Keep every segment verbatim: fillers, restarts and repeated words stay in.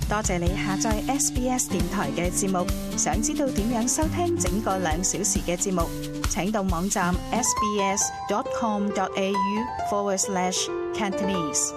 多謝你下載 S B S 電台嘅節目。想知道點樣收聽整個兩小時嘅節目，請到網站 sbs.com.au forward slash Cantonese。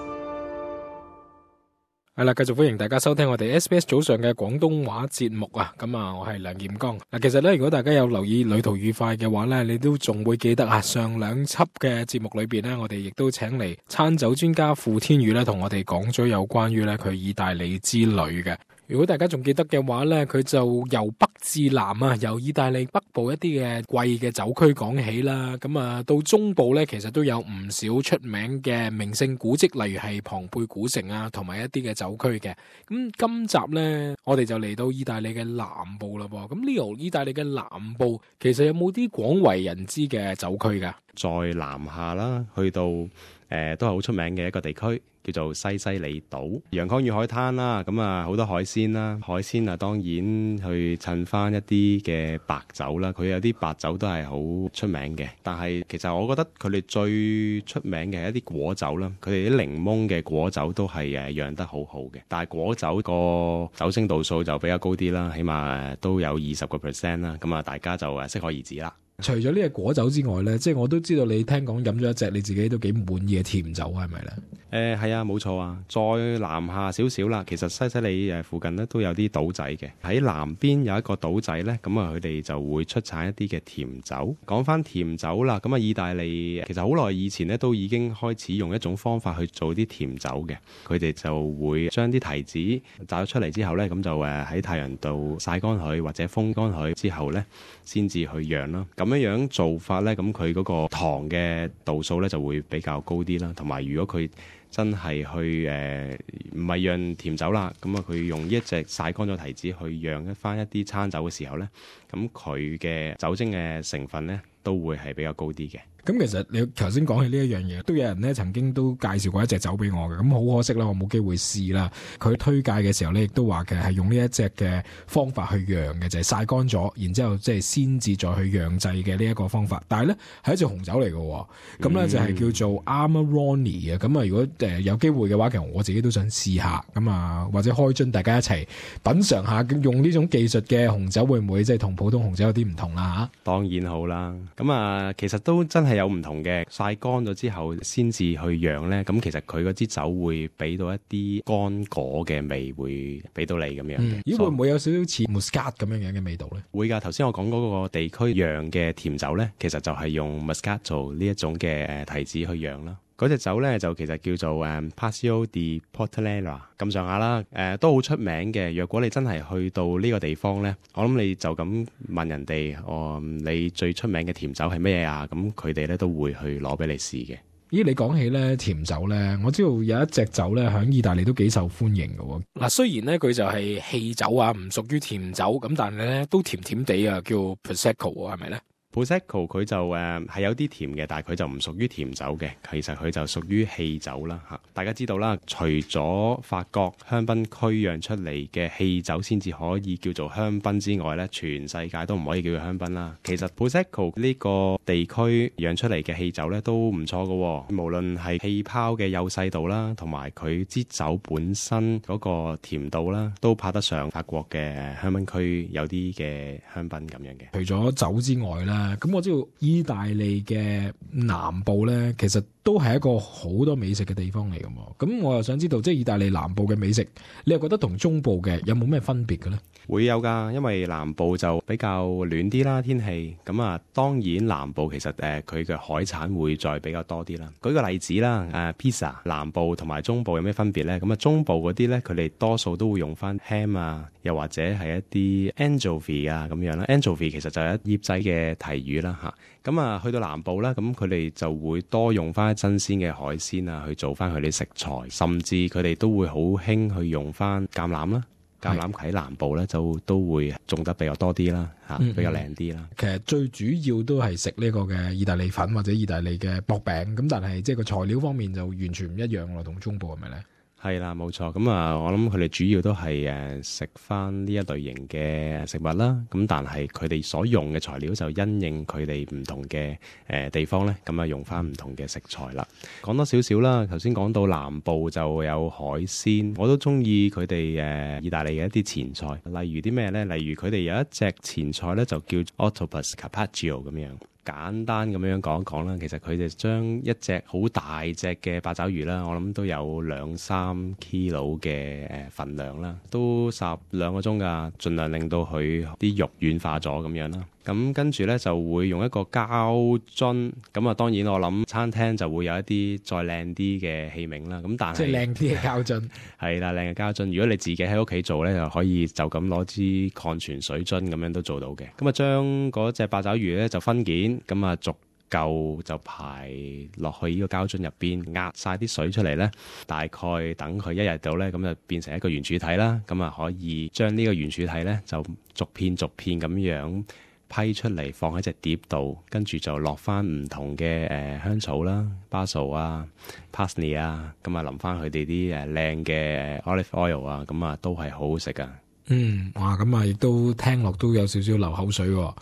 係啦，繼續歡迎大家收聽我哋 S B S 早上嘅廣東話節目啊！咁啊，我係梁劍剛。嗱，其實咧，如果大家有留意旅途愉快嘅話咧，你都仲會記得啊，上兩輯嘅節目裏邊咧，我哋亦都請嚟餐酒專家傅天宇咧，同我哋講咗有關於咧佢意大利之旅嘅。如果大家仲記得嘅話咧，佢就由北至南啊，由意大利北部一啲嘅貴嘅酒區講起啦。咁啊，到中部咧，其實都有唔少出名嘅名勝古蹟，例如係龐貝古城啊，同埋一啲嘅酒區嘅。咁今集咧，我哋就嚟到意大利嘅南部啦噃。咁呢度意大利嘅南部，其實有冇啲廣為人知嘅酒區噶？再南下啦，去到誒、呃、都係好出名嘅一個地區，叫做西西里島，陽光與海灘啦，咁啊好多海鮮啦，海鮮啊當然去襯翻一啲嘅白酒啦，佢有啲白酒都係好出名嘅，但係其實我覺得佢哋最出名嘅係一啲果酒啦，佢哋啲檸檬嘅果酒都係誒釀得好好嘅，但係果酒個酒精度數就比較高啲啦，起碼都有二十個 percent 啦，咁啊大家就誒適可而止啦。除咗呢個果酒之外咧，即係我都知道你聽講飲咗一隻你自己都幾滿意嘅甜酒，係咪咧？誒係啊，冇錯啊。再南下少少啦，其實西西里誒附近咧都有啲島仔嘅。喺南邊有一個島仔咧，咁啊佢哋就會出產一啲嘅甜酒。講翻甜酒啦，咁啊意大利其實好耐以前咧都已經開始用一種方法去做啲甜酒嘅。佢哋就會將啲提子摘咗出嚟之後咧，咁就誒喺太陽度曬乾佢或者風乾佢之後咧，先至去釀啦。咁樣樣做法咧，咁佢嗰個糖嘅度數咧就會比較高啲啦。同埋如果佢真係去誒唔係釀甜酒啦，咁啊佢用呢一隻曬乾咗提子去釀一翻一啲餐酒嘅時候咧，咁佢嘅酒精嘅成分咧都會係比較高啲嘅。咁其實你頭先講起呢一樣嘢，都有人咧曾經都介紹過一隻酒俾我嘅，咁好可惜啦，我冇機會試啦。佢推介嘅時候咧，亦都話嘅係用呢一隻嘅方法去釀嘅，就係曬乾咗，然之後即係先至再去釀製嘅呢一個方法。但係咧係一隻紅酒嚟嘅，咁咧就係叫做 Amarone 嘅。咁啊，如果誒有機會嘅話，其實我自己都想試下，咁啊或者開樽大家一齊品嚐下，用呢種技術嘅紅酒會唔會即係同普通紅酒有啲唔同啦嚇？當然好啦，咁啊其實都真係有唔同嘅，曬乾咗之後先至去釀咧，咁其實佢嗰支酒會俾到一啲乾果嘅味，會俾到你咁樣嘅。咦、嗯，會唔會有少少似 Muscat 咁樣樣嘅味道咧？會㗎，頭先我講嗰個地區釀嘅甜酒咧，其實就係用 Muscat 做呢一種嘅誒提子去釀啦。嗰隻酒咧就其實叫做誒 Passio di Portonella 咁上下啦，誒、呃、都好出名嘅。若果你真係去到呢個地方咧，我諗你就咁問人哋，哦，你最出名嘅甜酒係咩啊？咁佢哋咧都會去攞俾你試嘅。咦，你講起咧甜酒咧，我知道有一隻酒咧喺意大利都幾受歡迎嘅。嗱，雖然咧佢就係氣酒啊，唔屬於甜酒，咁但係咧都甜甜地啊，叫 Prosecco 係咪咧？Prosecco 佢就誒係、呃、有啲甜嘅，但係佢就唔屬於甜酒嘅，其實佢就屬於氣酒啦嚇。大家知道啦，除咗法國香檳區釀出嚟嘅氣酒先至可以叫做香檳之外咧，全世界都唔可以叫做香檳啦。其實 Prosecco 呢個地區釀出嚟嘅氣酒咧都唔錯嘅，無論係氣泡嘅幼細度啦，同埋佢支酒本身嗰個甜度啦，都拍得上法國嘅香檳區有啲嘅香檳咁樣嘅。除咗酒之外啦。咁我知道意大利嘅南部咧，其實都係一個好多美食嘅地方嚟㗎嘛。咁我又想知道，即係意大利南部嘅美食，你又覺得同中部嘅有冇咩分別嘅咧？會有㗎，因為南部就比較暖啲啦，天氣咁啊。當然南部其實誒佢嘅海產會再比較多啲啦。舉個例子啦，誒 pizza 南部同埋中部有咩分別咧？咁啊中部嗰啲咧，佢哋多數都會用翻 ham 啊，又或者係一啲 anchovy 啊咁樣啦。anchovy 其實就係一醃仔嘅提魚啦嚇。咁啊去到南部啦，咁佢哋就會多用翻新鮮嘅海鮮啊去做翻佢哋食材，甚至佢哋都會好興去用翻橄欖啦。橄欖喺南部咧就都會種得比較多啲啦，嚇、嗯、比較靚啲啦。其實最主要都係食呢個嘅意大利粉或者意大利嘅薄餅，咁但係即係個材料方面就完全唔一樣咯，同中部係咪咧？係啦，冇錯。咁啊，我諗佢哋主要都係誒食翻呢一類型嘅食物啦。咁但係佢哋所用嘅材料就因應佢哋唔同嘅誒地方咧，咁啊用翻唔同嘅食材啦。講多少少啦，頭先講到南部就有海鮮，我都中意佢哋誒意大利嘅一啲前菜，例如啲咩咧？例如佢哋有一隻前菜咧，就叫 Octopus Carpaccio 咁樣。簡單咁樣講一講啦，其實佢就將一隻好大隻嘅八爪魚啦，我諗都有兩三 kilo 嘅誒份量啦，都十兩個鐘㗎，盡量令到佢啲肉軟化咗咁樣啦。咁跟住呢，就會用一個膠樽，咁啊當然我諗餐廳就會有一啲再靚啲嘅器皿啦。咁但係即係靚啲嘅膠樽，係啦，靚嘅膠樽。如果你自己喺屋企做呢，就可以就咁攞支礦泉水樽咁樣都做到嘅。咁啊將嗰隻八爪魚呢就分件，咁啊逐嚿就排落去呢個膠樽入邊，壓晒啲水出嚟呢，大概等佢一日到呢，咁就變成一個圓柱體啦。咁啊可以將呢個圓柱體呢，就逐片逐片咁樣批出嚟，放喺隻碟度，跟住就落翻唔同嘅誒、呃、香草啦、basil 啊、parsley 啊，咁啊淋翻佢哋啲誒靚嘅 olive oil 啊，咁啊都係好好食噶。嗯，哇，咁啊亦都聽落都有少少流口水喎。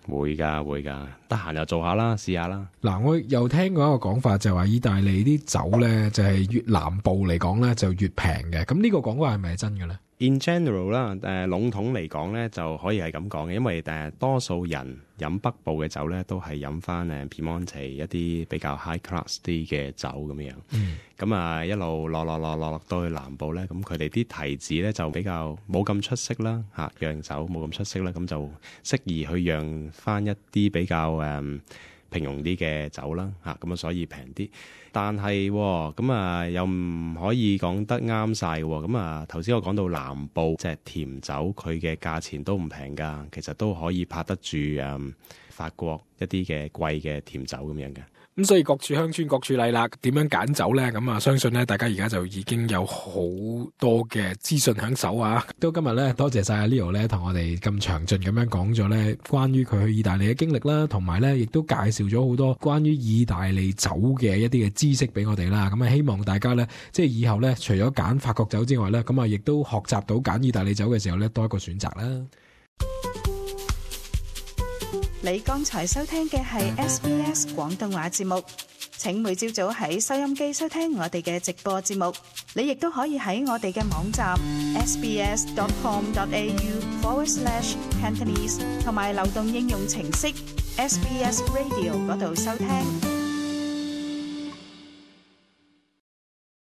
會噶會噶，得閒又做下啦，試下啦。嗱，我又聽過一個講法，就係話意大利啲酒咧，就係越南部嚟講咧就越平嘅。咁呢個講法係咪真嘅咧？In general 啦，誒籠統嚟講咧，就可以係咁講嘅，因為誒、呃、多數人飲北部嘅酒咧，都係飲翻誒 Piemonte 一啲比較 high class 啲嘅酒咁樣。嗯。咁啊，一路落落落落落到去南部咧，咁佢哋啲提子咧就比較冇咁出色啦，嚇釀酒冇咁出色啦，咁就適宜去釀翻一啲比較誒、嗯、平庸啲嘅酒啦，嚇咁啊，所以平啲。但係咁啊，又唔可以講得啱晒喎。咁啊，頭先我講到南部即係甜酒，佢嘅價錢都唔平㗎，其實都可以拍得住誒、嗯、法國一啲嘅貴嘅甜酒咁樣嘅。咁所以各處鄉村各處例啦，點樣揀酒咧？咁啊，相信咧大家而家就已經有好多嘅資訊喺手啊！都今日咧，多謝晒阿 Leo 咧，同我哋咁詳盡咁樣講咗咧，關於佢去意大利嘅經歷啦，同埋咧亦都介紹咗好多關於意大利酒嘅一啲嘅知識俾我哋啦。咁啊，希望大家咧，即係以後咧，除咗揀法國酒之外咧，咁啊，亦都學習到揀意大利酒嘅時候咧，多一個選擇啦。你剛才收聽嘅係 S B S 廣東話節目，請每朝早喺收音機收聽我哋嘅直播節目。你亦都可以喺我哋嘅網站 sbs.com.au forward slash Cantonese 同埋流動應用程式 S B S Radio 嗰度收聽。